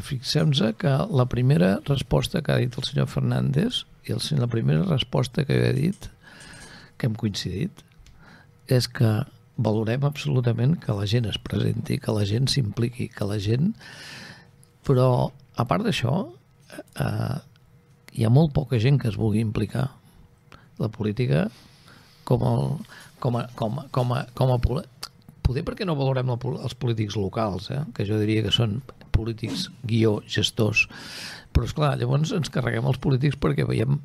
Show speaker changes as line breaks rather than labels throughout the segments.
fixem-nos que la primera resposta que ha dit el senyor Fernández i la primera resposta que he dit, que hem coincidit, és que valorem absolutament que la gent es presenti, que la gent s'impliqui, que la gent... Però, a part d'això, hi ha molt poca gent que es vulgui implicar. La política poder perquè no valorem els polítics locals, que jo diria que són polítics gestors, però esclar, llavors ens carreguem els polítics perquè veiem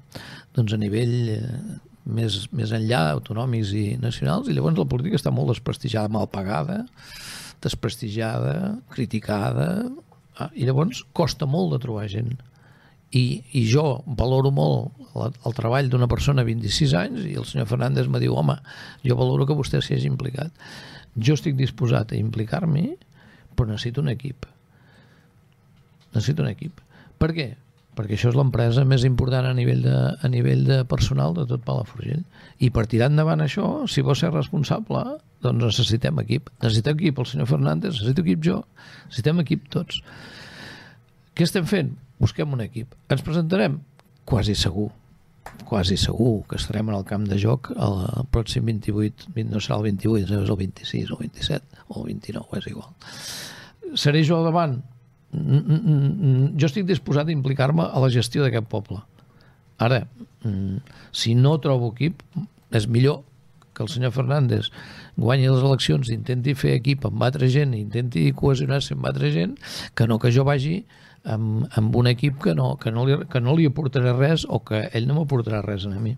doncs, a nivell més enllà, autonòmics i nacionals, i llavors la política està molt desprestigiada, mal pagada, desprestigiada, criticada, i llavors costa molt de trobar gent. I jo valoro molt el treball d'una persona de 26 anys i el senyor Fernández me diu, home, jo valoro que vostè s'hi hagi implicat. Jo estic disposat a implicar-m'hi, però necessito un equip. Necessito un equip. Per què? Perquè això és l'empresa més important a nivell de personal de tot Palafrugell. I per tirar endavant això, si vol ser responsable, doncs necessitem equip. Necessitem equip el senyor Fernández, necessito equip jo, necessitem equip tots. Què estem fent? Busquem un equip. Ens presentarem? Quasi segur que estarem en el camp de joc el pròxim 28, no serà el 28, és el 26 o el 27 o el 29, és igual. Seré jo al davant? Jo estic disposat a implicar-me a la gestió d'aquest poble. Ara, si no trobo equip, és millor que el senyor Fernández guanyi les eleccions, intenti fer equip amb altra gent, intenti cohesionar-se amb altra gent, que no que jo vagi amb un equip que no li aportarà res o que ell no m'aportarà res a mi.